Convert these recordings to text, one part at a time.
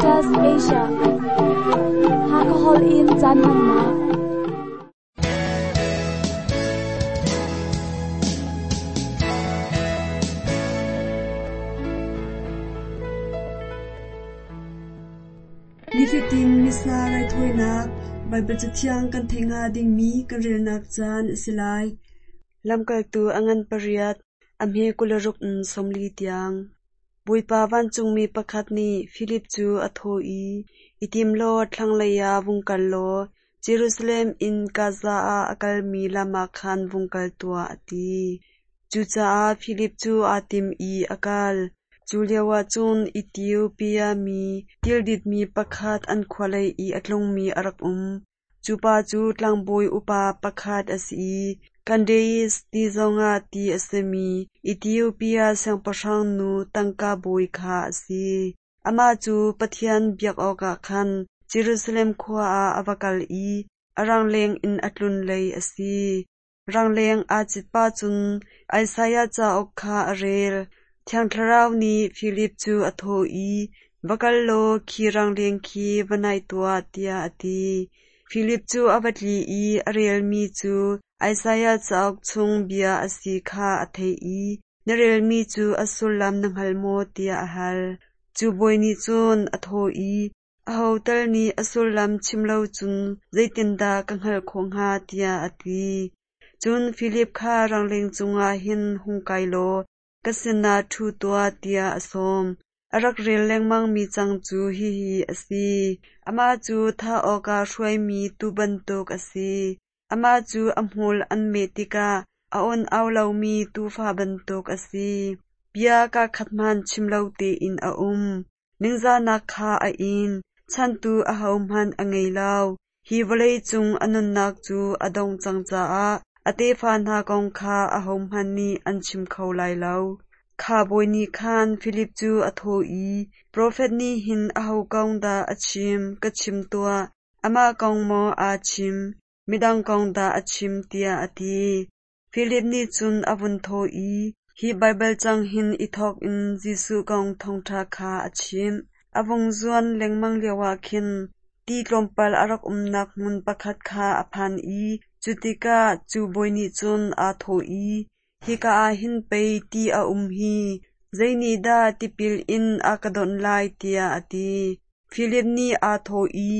Adventist Asia. Hakha Hall in caan hmannak. Nifatin Missa raithawinak Baibal Cathiang kan theih hnga dingmi kan relnak caan a si lai. Lamkaltu a ngan pariat, a hme 26 in 40 tiang. Bawipa vancungmi pakhat nih Filip cu a thawh i, I tim law thlanglei ah vung kal law Jerusalem in Gaza ah a kalmi lam ah khan vung kal tuah, a ti. Cucaah Filip cu aa tim i a kal. Cu lioah cun Ethiopia mi tilditmi pakhat an khua lei i a tlungmi a rak um. Cu pa cu tlangbawi upa pakhat a si i Kandace ti zongah ti a simi Ethiopia siangpahrang nu tangka bawi kha a si. Amah cu Pathian biak awkah khan Jerusalem khua ah a va kal i a rangleng in a tlun lei a si. Rangleng aa cit pah cun Isaiah cauk kha a rel. Thiang Thlarau nih Filip cu a thawh i, Va kal law khi rangleng khi va naih tuah, tiah a ti. Filip cu a va tli i a relmi cu Isaiah cauk chung bia a si kha a theih i, Na relmi cu a sullam na hngal maw? tiah a hal. Cu bawi nih cun a thawh i, Aho tal nih a sullam chim lo cun zeitindah ka hngalh khawh hnga? tiah a ti. Cun Filip kha rangleng cungah hin hung kai law ka sinah ṭhu tuah, tiah a sawm. A rak rel lengmangmi cang cu hihi a si: Amah cu thah awkah hruaimi tuu bantuk a si. Amah cu a hmul an meh tikah a awn au lomi tuufa bantuk a si. Bia kaakhat hmanh chim lo tein a um. Ningzahnak kha a in, chanhtu ahohmanh a ngei lo. Hi vawlei cung a nunnak cu a dongh cang caah a tefa hna kong kha ahohmanh nih an chim kho lai lo. Kha bawi nih khan Filip cu a thawh i, Profet nih hin aho kong dah a chim, ka chim tuah? Amah kong maw aa chim, midang kong dah a chim, tiah a ti. Filip nih cun a vun thawh i, Hi Baibal cang hin i thawk in Jesuh kong thawngṭha kha a chimh. A vung zuan lengmang lioah khin ti tlawmpal a rak umnak hmun pakhat kha a phan i cu tikah cu bawi nih cun aa thawh i, Hika ah hin pei ti a um hi, zeinihdah tipil in a ka donh lai, tiah a ti. Filip nih aa thawh i,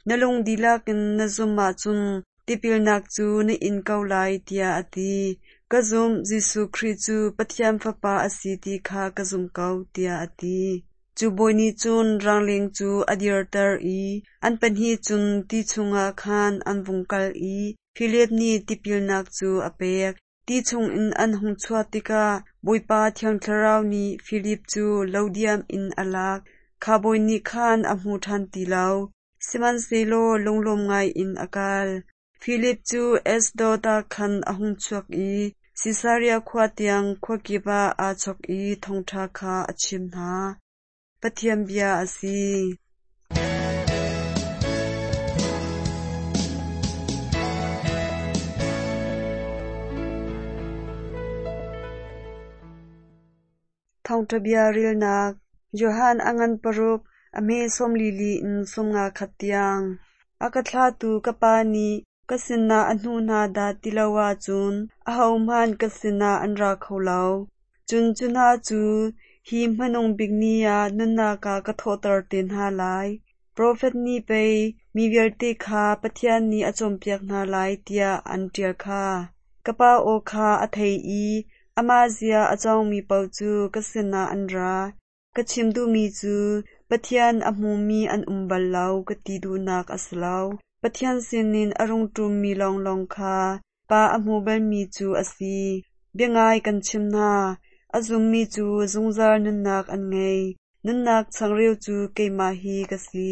Na lung dihlak in na zumh ahcun tipilnak cu na in ko lai, tiah a ti. Ka zumh, Jesuh Khrih cu Pathian Fapa a si ti kha ka zumh ko, tiah a ti. Cu bawi nih cun rangleng cu a dirter i an pahnih cun ti chungah khan an vung kal i Filip nih tipilnak cu a pek. Ti chungin an hung chuah tikah Bawipa Thiang Thlarau nih Filip cu lodiam in a lak. Kha bawi nih khan a hmu ṭhan ti lo, sihmanhsehlaw lunglawm ngaiin a kal. Filip cu Ashdod ah khan a hung chuak i Sisaria khua tiang khuakip ah aa chawk i thawngṭha kha a chim hna. Pathian bia a si. Thawngṭha bia relnak Johan a ngan paruk, a hme 44 in 51 tiang. A ka thlahtu ka Pa nih ka sinah a hnuh hna dah ti lo ahcun ahohmanh ka sinah an ra kho lo. Cun cu hna cu hi hmanung bik ni ah nunnak ah ka thawhter te hna lai. Profet nih pei mi vialte kha Pathian nih a cawnpiak hna lai tiah an ṭial kha. Ka Pa aw kha a thei i amah zia a cawngmi paoh cu ka sinah an ra. Ka chim duhmi cu Pathian a hmumi an um bal lo ka ti duhnak a si lo. Pathian sinin a rung ṭummi lawnglawng kha Pa a hmu balmi cu a si. Biangai kan chim hna, a zummi cu zungzal nunnak an ngei. Nunnak changreu cu keimah hi ka si.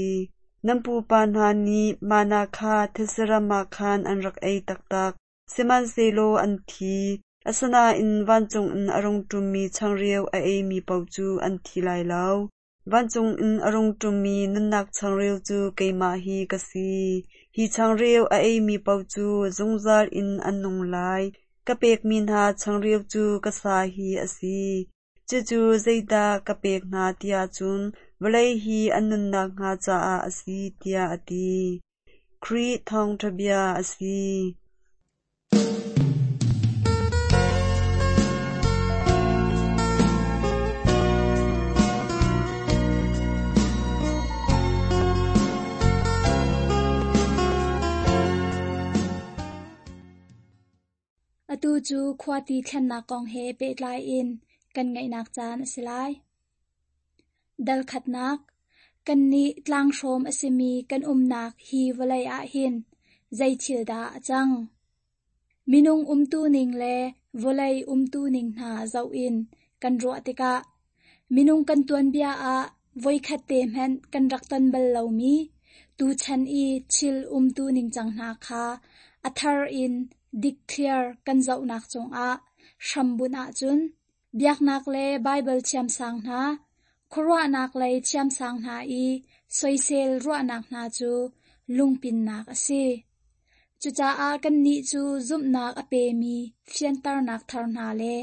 Nan pupa hna nih mana kha thetse ram ah khan an rak ei taktak, sihmanhsehlaw an thi. Asinain vancung in a rung ṭummi changreu a eimi paoh cu an thi lai lo. Vancung in a rung ṭummi nunnak changreu cu keimah hi ka si. Hi changreu a eimi paoh cu zungzal in an nung lai. Ka pekmi hna changreu cu ka sa hi a si. Cucu zeidah ka pek hna tiah cun Vawlei hi an nunnak hnga caah a si, tiah a ti. Khrih thawngṭha bia a si. Atu cu khuati thlennak kong he pehtlai in kan ngaihnak caan a si lai. Dal khatnak, Kannih tlanghrawm a simi kan umnak hi vawlei ah hin zei thil dah a cang? Minung umtuning le vawlei umtuning hna zoh in kan ruah tikah minung kan tuanbia ah voikhat te hmanh kan rak ton bal lomi tuchan i thil umtu ningcang hna kha a thar in dikthliar kan zohnak cungah hrambunh ahcun biaknak le Baibal thiamsang hna, khuaruahnak lei thiamsang hna i soisel ruahnak hna cu lungpinnak a si. Cucaah kannih cu zumhnak a pemi fianternak thar hna le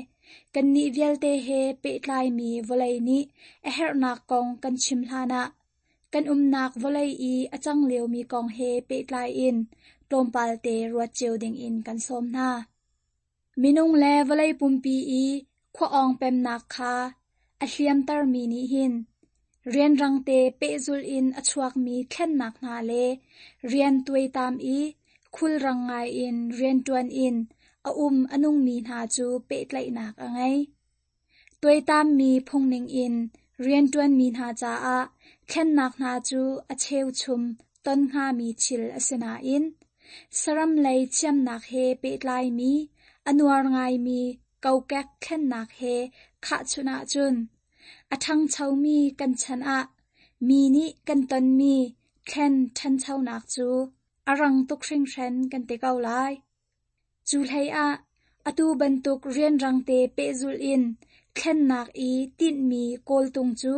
kannih vialte he pehtlaimi vawlei nih a herhnak kong kan chim hlanah kan umnak vawlei i a cang liomi kong he pehtlai in tlawmpal te ruat cio dingin kan sawm hna. Minung le vawlei pumpi i khua-awng pemnak kha a hliamtermi nih hin rianrangte pehzulh in a chuakmi thlennak hna le rian tuaitam i khulrang ngaiin rianṭuan in a um a nungmi hna cu pehtlaihnak a ngei. Tuaitammi phungning in rianṭuanmi hna caah thlennak hna cu a cheuchum ton hngami thil a si nain saram lei thiamnak he pehtlaimi a nuar ngaimi kokek thlennak he khahchunh ahcun a ṭhangchomi kan chan ah mi nih kan tonmi thlen ṭhanchonak cu a rang tuk hringhran kan ti ko lai. Cu hleiah atu bantuk rianrangte pehzulh in thlennak i tinhmi kawltung cu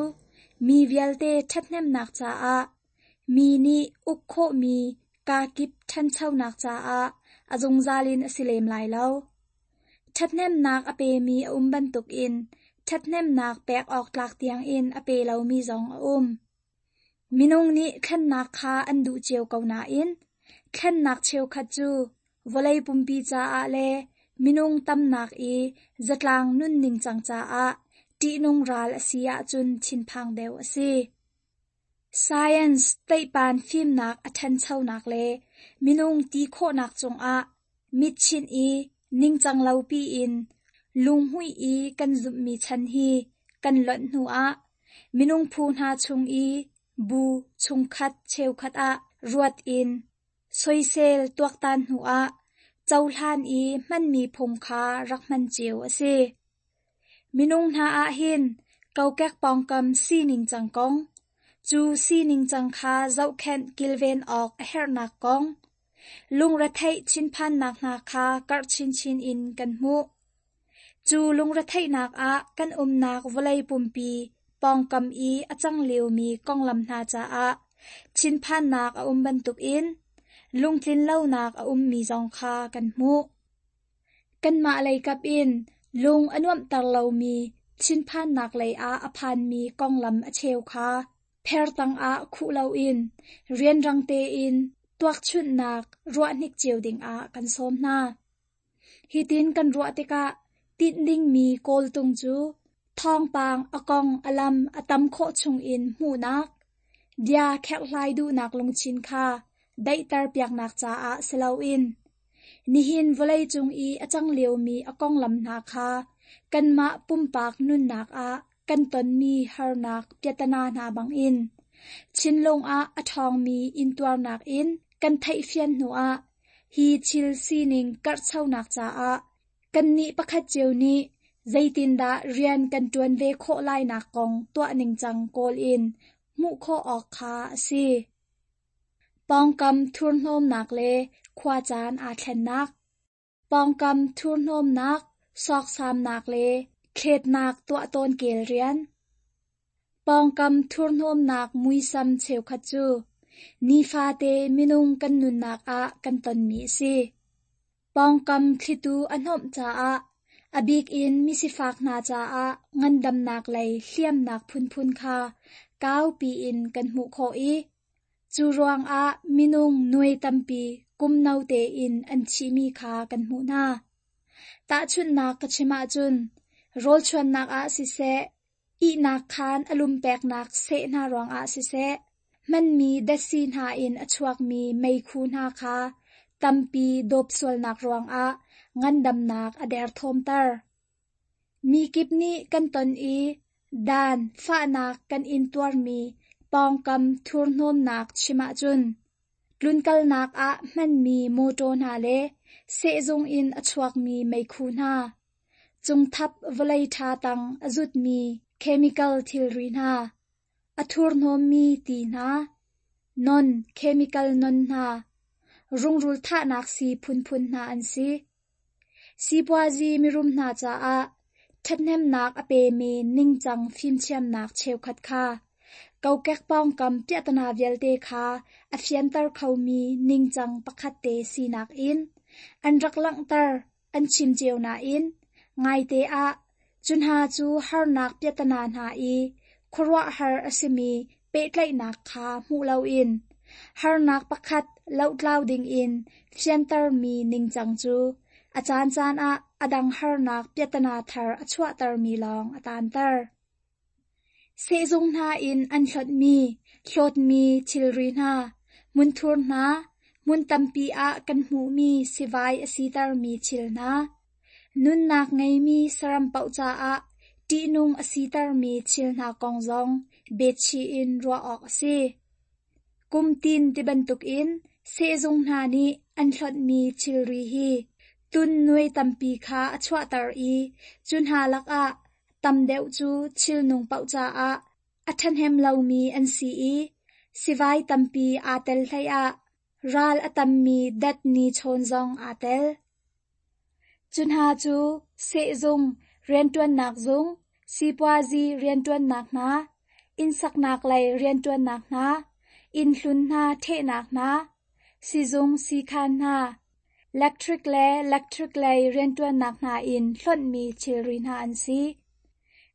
mi vialte ṭhathnemnak caah mi nih uk khawhmi kakip ṭhanchonak caah a zungzal in a si lem lai lo. Ṭhathnemnak a pemi a um bantukin ṭhathnemnak pek awk tlak tiangin a pe lomi zong a um. Minung nih thlennak kha an duh cio ko nain thlennak cheukhat cu vawlei pumpi caah le minung tamnak i zatlang nunning cang caah ṭihnung ral a si ahcun thinphang deuh a si. Science teihpan fimnak a ṭhanchonak le minung ti khawhnak cungah mitchinh i ningcang lopi in lunghmuih i kan zumhmi chan hi kan lonh hnuah minung phu hna chung i bu chungkhat cheukhat ah ruat in soisel tuaktan hnuah cohlan i hmanmi phung kha rak hman cio a si. Minung hna ah hin kokek pawngkam sining cang kong, cu sining cang kha zohkhenh kilven awk a herhnak kong, lungretheih thinphannak hna kha karh chinchin in kan hmuh. Cu lungretheihnak ah kan umnak vawlei pumpi pawngkam i a cang liomi konglam hna caah thinphannak a um bantukin lungtlinlonak a ummi zong kha kan hmuh. Kanmah leikap in lung a nuamhter lomi thinphannak lei ah a phanmi konglam a cheu kha pher tangah khuh loin rianrang tein tuakchunhnak ruahhnik cio dingah kan sawm hna. Hitin kan ruah tikah tinh dingmi kawltung cu thawngpang a kong a lam a tam khawh chungin hmuhnak, bia kherhhlai duhnak lungthin kha daihter piaknak caah si loin nihin vawleicung i a cang liomi a konglam hna kha kanmah pumpak nunnak ah kan tonmi harnak piatana hna bangin thinlung ah a ṭhawngmi intuarnak in kan theihfian hnuah hi thil sining karhchonak caah kannih pakhat cio nih zeitindah rian kan ṭuan ve khawh lainak kong tuah ningcang kawl in hmuh khawh awk kha a si. Pawngkam thurhnawmnak le khuacaan aa thlennak. Pawngkam thurhnawmnak, sawksamnak le thletnak tuah tawn kel rian. Pawngkam thurhnawmnak muisam cheukhat cu nifate minung kan nunnak ah kan tonmi a si. Pawngkam thlitu a hnawmh caah a bik in misifak hna caah ngandamnak lei hliamnak phunphun kha kaupi in kan hmuh khawh i cu ruangah minung nuai tampi kum no tein an thihmi kha kan hmuh hna. Tahchunhnak ka chim ahcun rawlchuannak ah siseh, ihnak khaan a lum peknak seh hna ruangah siseh, hmanmi datsi hna in a chuakmi meikhu hna kha tampi dawp sualnak ruangah ngandamnak a derthawmter. Mi kip nih kan ton i dan fahnak kan intuarmi pawngkam thurhnawmnak chim ahcun tlunkalnak ah hmanmi mawṭaw hna le sehzung in a chuakmi meikhu hna, cungthap vawlei ṭha tang a zutmi chemical thilri hna, a thurhnawmmi ti hna, non chemical non hna, rungrul thahnak sii phunphun hna an si. Sipuazi mirum hna caah ṭhathnemnak a pemi ningcang fimthiamnak cheukhat kha kokek pawngkam piahtana vialte kha a fianter khomi ningcang pakhat te sinak in an rak langhter an chim cio nain ngaite ah cu hna cu harnak piahtana hna i khuaruahhar a simi pehtlaihnak kha hmuh loin harnak pakhat lohtlau dingin fiantermi ningcang cu a caancaan ah a dang harnak piahtana thar a chuahtermi lawng a taanter. Sehzung hna in an hlonhmi, hlawtmi thilri hna, hmunthur hna, hmun tampi ah kan hmuhmi sivai a sitermi thil hna, nunnak ngeimi saram paoh caah ṭihnung a sitermi thil hna kong zong betchih in ruah awk a si. Kumtin ti bantukin sehzung hna nih an hlonhmi thilri hi tun nuai tampi kha a chuahter i cu hna lakah tam deuh cu thilnung paoh caah a ṭhahnem lomi an si i sivai tampi aa tel hleiah ral a tammi dat nichawn zong aa tel. Cu hna cu sehzung, rianṭuannak zung, sipuazi rianṭuannak hna, innsaknak lei rianṭuannak hna, innhlun hna ṭhehnak hna, sizung siikhan hna, lectric le lectric lei rianṭuannak hna in hlonhmi thilri hna an si.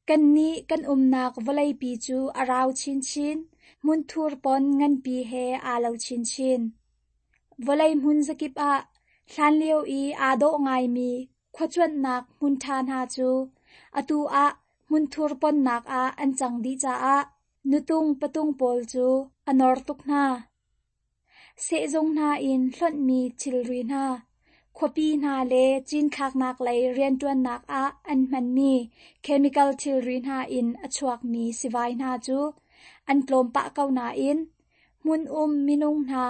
Kannih kan umnak vawleipi cu a rau chinchin, hmunthur pon nganpi he aa lo chinchin. Vawlei hmun zakip ah hlanlio i aa dawh ngaimi khuacuanhnak hmun ṭha hna cu atu ah hmunthur ponnak ah an cang dih caah nutung patung pawl cu a nor tuk hna. Sehzung hna in hlonhmi thilri hna, khuapi hna le cinthlaknak lei rianṭuannak ah an hmanmi chemical thilri hna in a chuakmi sivai hna cu an tlawm pah ko nain hmun um minung hna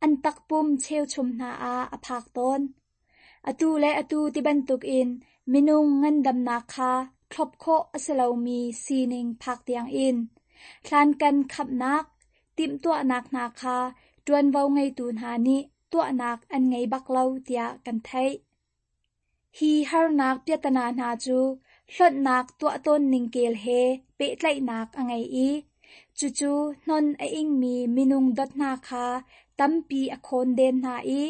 an takpum cheuchum hna ah a phak tawn. Atu le atu ti bantukin minung ngandamnak kha thlop khawh a si lomi sining phak tiangin hlankan khamhnak, timhtuahnak hna kha ṭuanvo ngeitu hna nih tuahnak an ngei bak lo tiah kan theih. Hi harnak piahtana hna cu hlonhnak tuah tawn ning kel he pehtlaihnak a ngei i cucu hnon a ingmi minung dot hna kha tampi a khawnden hna i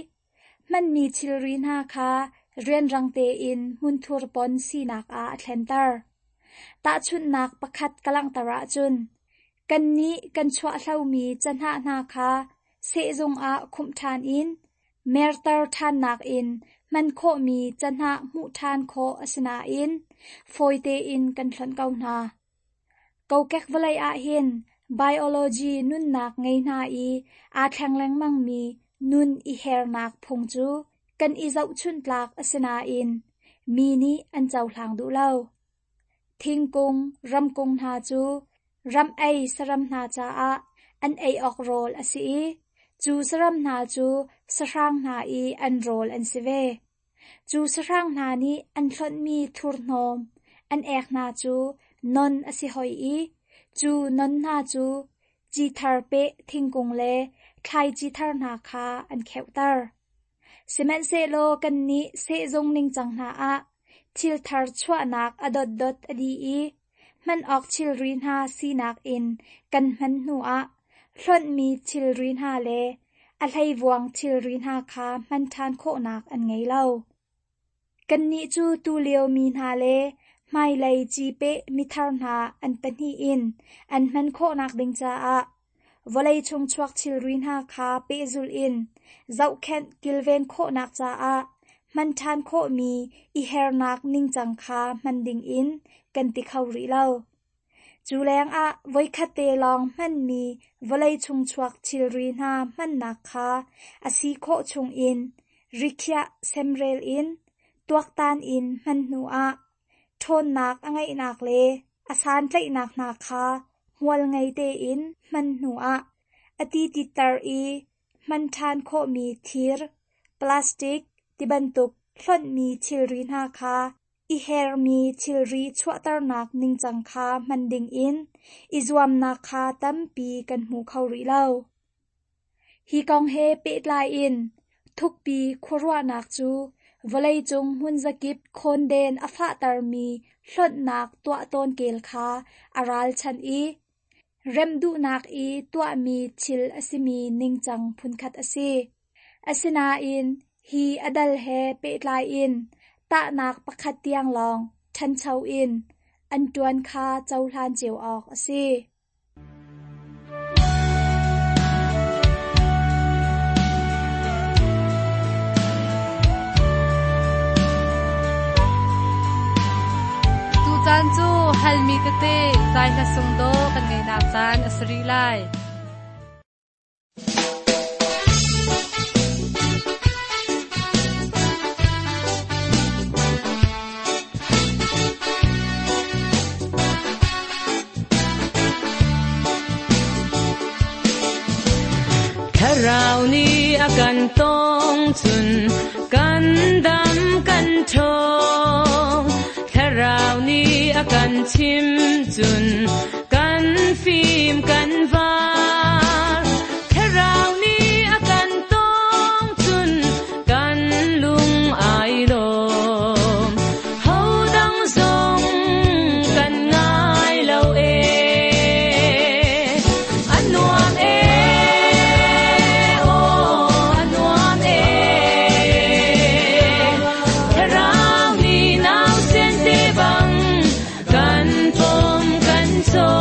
hmanmi thilri hna kha rianrang tein hmunthur pon sinak ah a thlenter. Tahchunhnak pakhat ka langhter ahcun, kannih kan chuahhlomi cahnah hna kha sehzung ah khumh ṭhan in merter ṭhannak in hman khawhmi cahnah hmuh ṭhan khawh a si nain fawi tein kan hlonh ko hna. Kokek vawlei ah hin biology nunnak ngei hna i aa thleng lengmangmi nun i hernak phung cu kan i zohchunh tlak a si nain mi nih an cohlang duh lo. Thingkung, ramkung hna cu ram ei saram hna caah an ei awk rawl a si i cu saram hna cu sahrang hna i an rawl an si ve. Cu sahrang hna nih an hlonhmi thurhnawm an ek hna cu non a si hoi i cu non hna cu ci thar peh thingkung le thlaici thar hna kha an kheuhter. Sihmanhsehlaw kannih sehzung ningcang hna ah thil thar chuahnak a dotdot a dih i hman awk thilri hna sinak in kan hman hnuah hlonhmi thilri hna le a hleivuang thilri hna kha hman ṭhan khawhnak an ngei lo. Kannih cu tulio mi hna le Hmailei cipeh mithar hna an pahnih in an hman khawhnak ding caah vawlei chung chuak thilri hna kha pehzulh in zohkhenh kilven khawhnak caah hman ṭhan khawhmi i hernak ningcang kha hman dingin kan ti kho rih lo. Cu lengah voikhat te lawng hmanmi vawlei chung chuak thilri hna hmannak kha a si khawh chungin rikhiah semrel in tuaktan in hman hnuah ṭhawnnak a ngeihnak le a santlaihnak hna kha hmual ngei tein hman hnuah a ti titter i hman ṭhan khawhmi thir, plastic tibantuk hlonhmi thilri hna kha i hermi thilri chuahternak ningcang kha hman dingin i zuamnak kha tampi kan hmu kho rih lo. Hi kong he pehtlai in thukpi khuaruahnak cu vawleicung hmunzakip khawnden a fahtermi hlonhnak tuah tawn kel kha a ralchanh i remh duhnak i tuahmi thil a simi ningcang phunkhat a si. Asinain hi a dal he pehtlai in tahnak pakhat tiang lawng ṭhancho in an ṭuan kha cohlan cio awk a si. Tucaan cu halmi tete zai hla sung dawh kan ngeihnak caan a si rih lai. Thlarau nih a kan tong cun kan dam kan ṭhawng. Thlarau nih a kan chim cun kan fim kan var. Thlarau nih a kan tong cun kan lung ai lawm. Hodang zong kan ngai lo ee. A nuam ee, aw a nuam ee. Thlarau nih nausen te bang kan pom kan cawi.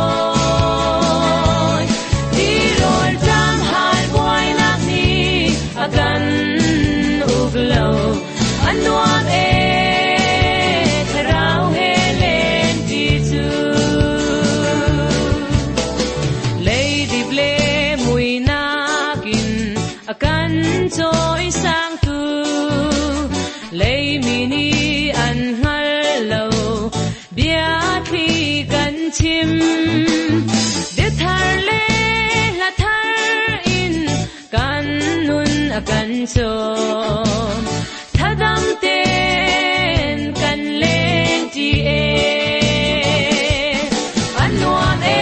Tirawl ṭam hal buainak nih a kan uk lo. A nuam ee, thlarau he len ti cu. Leidip le muinak in a kan cawi sangtu. Leimi nih an hngal lo, bia thli kan chim. Biathar le hla thar in kan nun a kan cawm. Thadam tein kan leng ṭi ee. A nuam ee,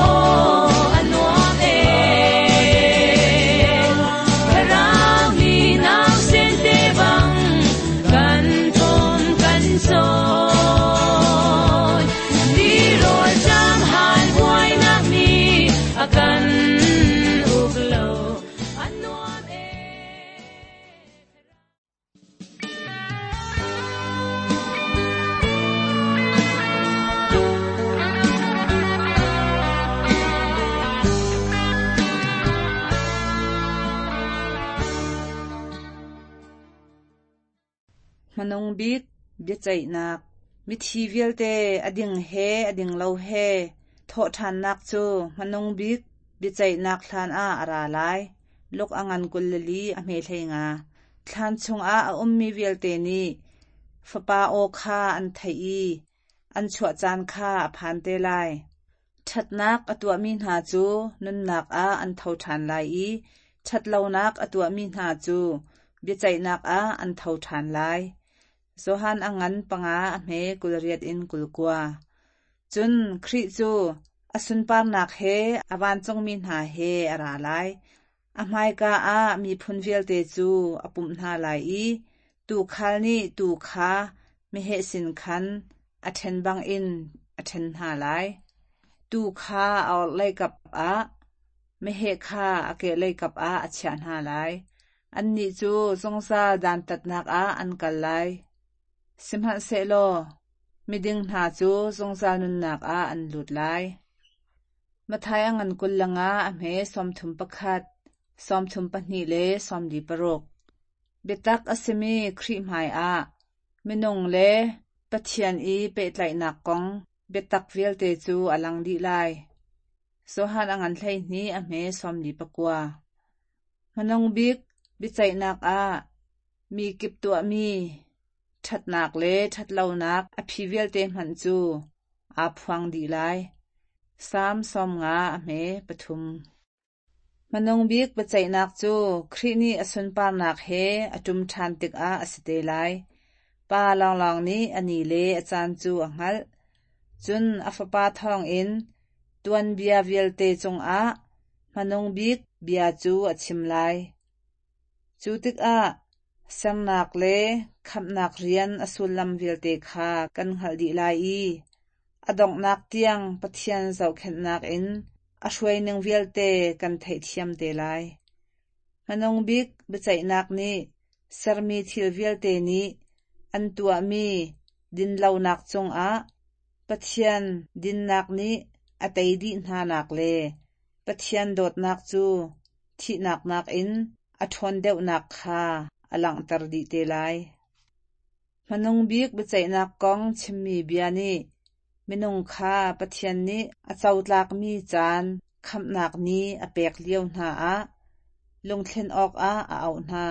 aw a nuam ee. Thlarau nih nausen te bang kan pom kan cawi. Tirawl ṭam hal buainak nih a kan uk lo. A nuam ee. Hmanung bik biaceihnak Mithi vialte a ding he a ding lo he thawhṭhannak cu hmanung bik biaceihnak hlan ah a ra lai. Luk a ngan 24 a hme 15. Thlan chungah a ummi vialte nih Fapa aw kha an theih i an chuah caan kha a phan te lai. Ṭhatnak a tuahmi hna cu nunnak ah an tho ṭhan lai i ṭhatlonak a tuahmi hna cu biaceihnak ah an tho ṭhan lai. Johan a ngan panga a hme 28 in 29. Cun Khrih cu a sunparnak he a vancungmi hna he a ra lai. A hmaika ah miphun vialte cu a pumh hna lai i tuukhal nih tuu kha meheh sin khan a ṭhen bangin a ṭhen hna lai. Tuu kha a orhlei kap ah, meheh kha a kehlei kap ah a chiah hna lai. Annih cu zungzal dantatnak ah an kal lai. Sihmanhsehlaw miding hna cu zungzal nunnak ah an lut lai. Matthai a ngan 25 a hme 31, 32 le 46. Biatak a simi Khrih hmaiah minung le Pathian i pehtlaihnak kong biatak vialte cu a lang dih lai. Johan a ngan 12 a hme 49. Hmanung bik biaceihnak ah mi kip tuahmi ṭhatnak le ṭhatlonak a phi vialte hmanh cu aa phuang dih lai. Salm 50 a hme 3. Hmanung bik biaceihnak cu Khrih nih a sunparnak he a ṭum ṭhan tikah a si te lai. Pa lawnglawng nih a ni le a caan cu a hngalh. Cun a Fapa thawngin tuanbia vialte cungah hmanung bik bia cu a chim lai. Cu tikah sernak le khamhnak rian a sullam vialte kha kan hngalh dih lai i a donghnak tiang Pathian zohkhenhnak in a hruaining vialte kan theihthiam te lai. Hmanung bik biaceihnak nih sermi thil vialte nih an tuahmi dinlonak cungah Pathian dinnak nih a tei dih hnanak le Pathian dawtnak cu thihnak nakin a ṭhawn deuhnak kha a langhter dih te lai. Hmanung bik biaceihnak kong chimmi bia nih minung kha Pathian nih a cotlakmi caan khamhnak ni a pek lio hna ah lungthlen awkah a auh hna.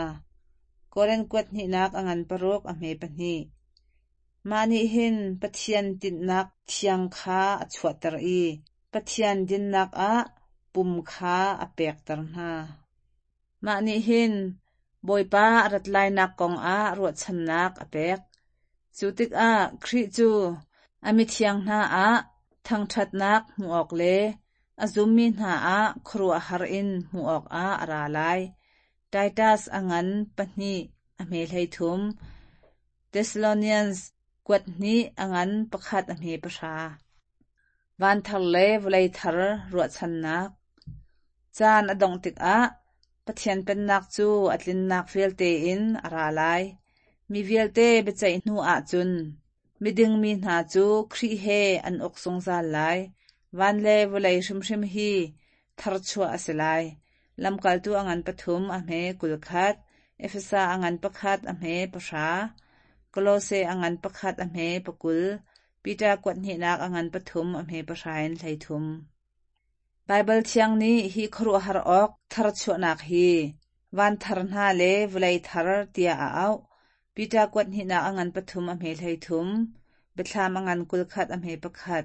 Korin kuat hnihnak a ngan 6 a hme 2. Mah nih hin Pathian tinhnak thiang kha a chuahter i Pathian dinnak ah pum kha a pekter hna. Mah nih hin Bawipa a rat lainak kongah ruahchannak a pek. Cu tikah Khrih cu a mithiang hna ah thangṭhatnak hmuh awk le a zummi hna ah khuaruahhar in hmuh awkah a ra lai. Titus a ngan 2 a hme 13, Thessalonians kuat hnih a ngan 1 a hme 10. Van thar le vawlei thar ruahchannak. Caan a dongh tikah Pathian Pennak cu a tlinnak vialte in a ra lai. Mi vialte biaceih hnu ahcun miding mi hna cu Khrih he an uk zungzal lai. Van le vawlei hrimhrim hi tharchuah a si lai. Lamkaltu a ngan 3 a hme 21, Efesa a ngan 1 a hme 10, Kolose a ngan 1 a hme 20, Peter kuat hnihnak a ngan 3 a hme 10 in 13. Baibal Thiang nih hi khuaruahhar awk tharchuahnak hi van thar hna le vawlei thar tiah a auh. Peter kuat hnihnak a ngan 3 a hme 13, Biathlam a ngan 21 a hme 1.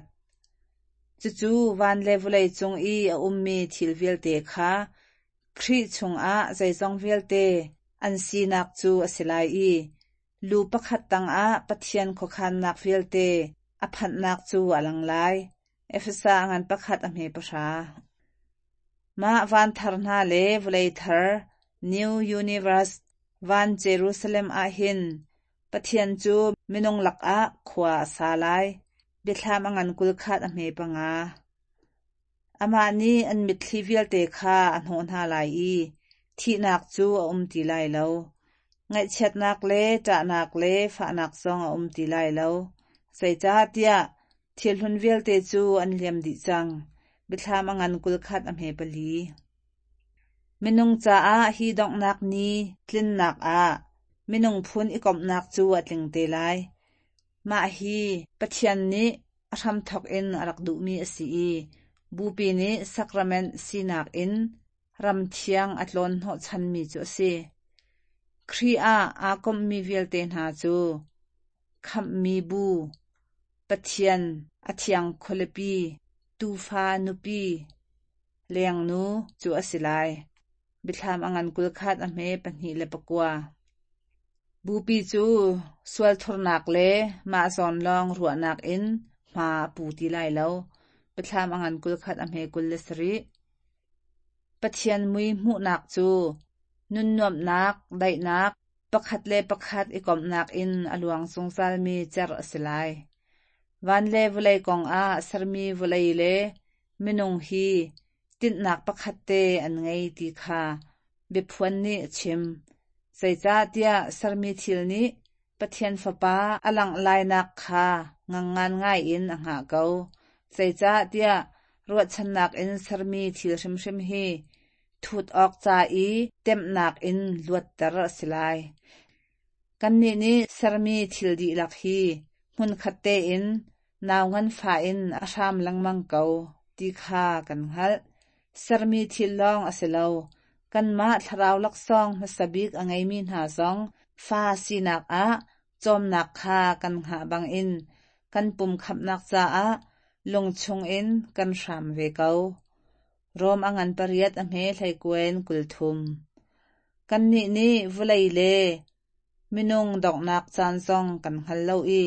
Cucu van le vawlei cung i a ummi thil vialte kha Khrih chungah zeizong vialte an sinak cu a si lai i lu pakhat tangah Pathian khuakhannak vialte a phanhnak cu a lang lai. Efesa a ngan 1 a hme 10. Mah van thar hna le vawlei thar New Universe van Jerusalem ah hin Pathian cu minung lakah khua a sa lai. Biathlam a ngan 21 a hme 5. Amah nih an mitthli vialte kha a hnawh hna lai i thihnak cu a um ti lai lo. Ngaihchiatnak le ṭahnak le fahnak zong a um ti lai lo. Zeicahtiah thil hlun vialte cu an liam dih cang. Biathlam a ngan 21 a hme 4. Minung caah hi donghnak ni tlinnak ah minung phun i komhnak cu a tling te lai. Mah hi Pathian nih a hramthawk in a rak duhmi a si i Bupi nih sacrament sinak in ram thiang a tlawn hnawhchanmi cu a si. Khrih ah aa komhmi vialte hna cu khamhmi bu, Pathian a thiang khualipi, tuufa nupi, lengnu cu a si lai. Biathlam a ngan 21 a hme 2 le 9. Bupi cu sualthurnak le mah zawn lawng ruahnak in hma a pu ti lai lo. Biathlam a ngan 21 a hme 27. Pathian mui hmuhnak cu nunnuamhnak, daihnak, pakhat le pakhat i komhnak in a luang zungzalmi cerh a si lai. Van le vawlei kongah sermi vawlei le minung hi tinhnak pakhat te an ngei ti kha biaphuan nih a chim. Zeicahtiah sermi thil nih Pathian Fapa a langh lainak kha ngangngan ngai in a hngah ko. Zeicahtiah ruahchannak in sermi thil hrimhrim hi thut awk ca i temhnak in luatter a si lai. Kannih nih sermi thil dihlak hi hmunkhat tein nau nganfah in a hram lengmang ko ti kha kan hngalh. Sermi thil lawng a si lo, kanmah thlarau laksawng hmasa bik a ngeimi hna zong fa sinak ah cawmnak kha kan hngah bangin kan pum khamhnak caah lung chungin kan hram ve ko. Rom a ngan pariat a hme hleikuen 30. Kannih nih vawlei le minung donghnak caan zong kan hngal lo i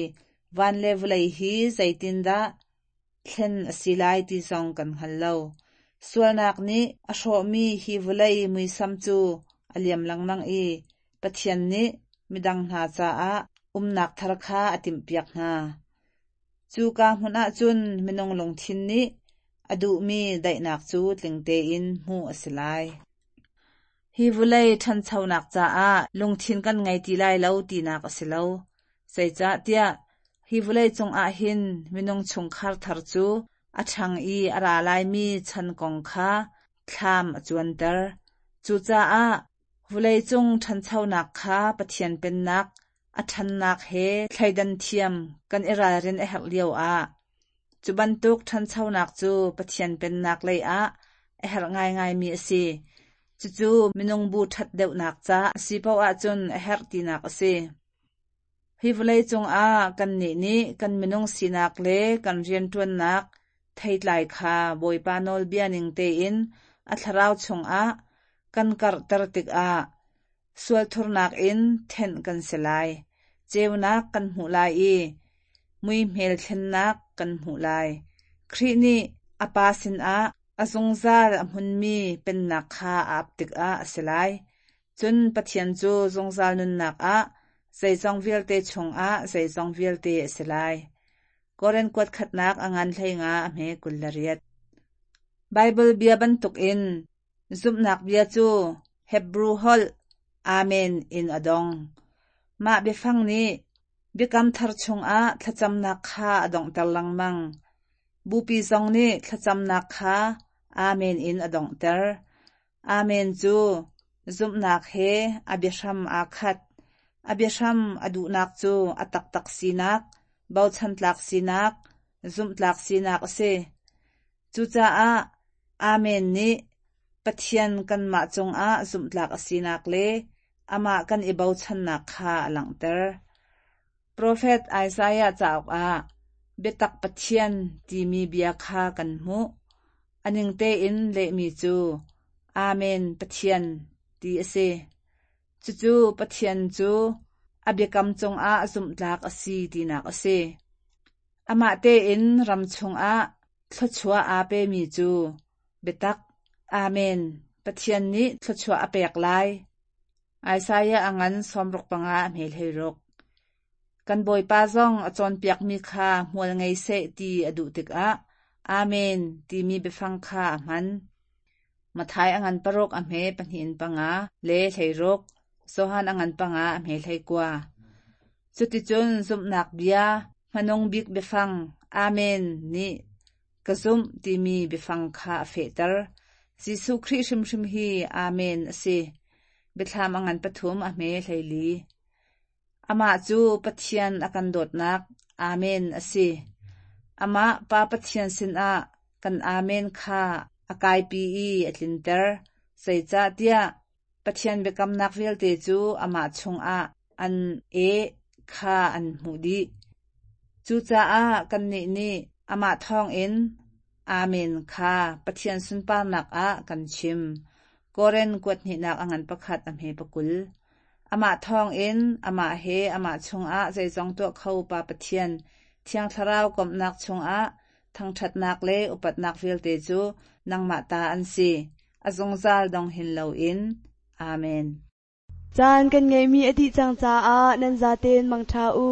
van le vawlei hi zeitindah thlen a si lai ti zong kan hngal lo. Sualnak nih a hrawhmi hi vawlei muisam cu a liam lengmang i Pathian nih midang hna caah umnak thar kha a timhpiak hna. Cuka hmun ah cun minung lungthin nih a duhmi daihnak cu tling tein hmuh a si lai. Hi vawlei ṭhanchonak caah lungthin kan ngei ti lai lo tinak a si lo. Zeicahtiah hi vawlei cungah hin minung chungkhar thar cu a ṭhang i a ra laimi chan kong kha thlam a cuanter. Cucaah vawleicung ṭhanchonak kha Pathian Pennak a ṭhannak he thleidan thiam kan i ralrin a herh lioah cu bantuk ṭhanchonak cu Pathian Pennak lei ah a herh ngaingaimi a si. Cucu minung bu ṭhat deuhnak ca a si paoh ahcun a herh tinak a si. Hi vawleicung ah kannih nih kan minung sinak le kan rianṭuannak theitlai kha Bawipa nawlbia ning tein a thlarau chungah kan karhter tikah sualthurnak in thenh kan si lai, ceunak kan hmuh lai i muihmel thlennak kan hmuh lai. Khrih nih a Pa sinah a zungzal a hmunmi pennak kha a ap tikah a si lai. Cun Pathian cu zungzal nunnak ah zeizong vialte chungah zeizong vialte a si lai. Korin kuat khatnak a ngan 15 a hme 28. Baibal bia bantukin zumhnak bia cu Hebru holh Amen in a dong. Mah biafang nih Biakam Thar chungah thlacamnak kha a donghter lengmang. Bupi zong nih thlacamnak kha Amen in a donghter. Amen cu zumhnak he a biahram aa khat. A biahram a duhnak cu a taktak sinak, bochantlak sinak, zumhtlak sinak a si. Cucaah Amen nih Pathian kanmah cungah zumhtlak a sinak le amah kan i bochannak kha a langhter. Profet Isaiah cauk ah biatak Pathian timi bia kha kan hmuh. A ning tein lehmi cu Amen Pathian ti a si. Cucu Pathian cu a biakam cungah zumhtlak a si tinak a si. Amah tein ram chungah thluachuah aa pemi cu biatak Amen Pathian nih thluachuah a pek lai. Isaiah a ngan 65 a hme 16. Kan Bawipa zong a cawnpiakmi kha hmual ngei seh ti a duh tikah Amen timi biafang kha a hman. Matthai a ngan paruk a hme pahnih in panga le 16, Johan a ngan panga a hme 19. Cuticun zumhnak bia hmanung bik biafang Amen nih ka zumh timi biafang kha a fehter. Jesuh Khrih hrimhrim hi Amen a si. Biathlam a ngan pathum a hme 14. Amah cu Pathian a kan dawtnak Amen a si. Amah Pa Pathian sinah kan Amen kha a kaipi i a tlinter. Zeicahtiah Pathian biakamnak vialte cu amah chungah an eh kha an hmuh dih. Cucaah kannih nih amah thawngin Amen kha Pathian sunparnak ah kan chim. Korin kuat hnihnak a ngan pakhat a hme pakul. Amah thawngin amah he amah chungah zeizong tuah kho Pa Pathian Thiang Thlarau komhnak chungah thangṭhatnak le upatnak vialte cu nangmah ta an si, a zungzal dong hin loin. Amen. Caan kan ngeihmi a dih cang caah nan zaten mangṭha u.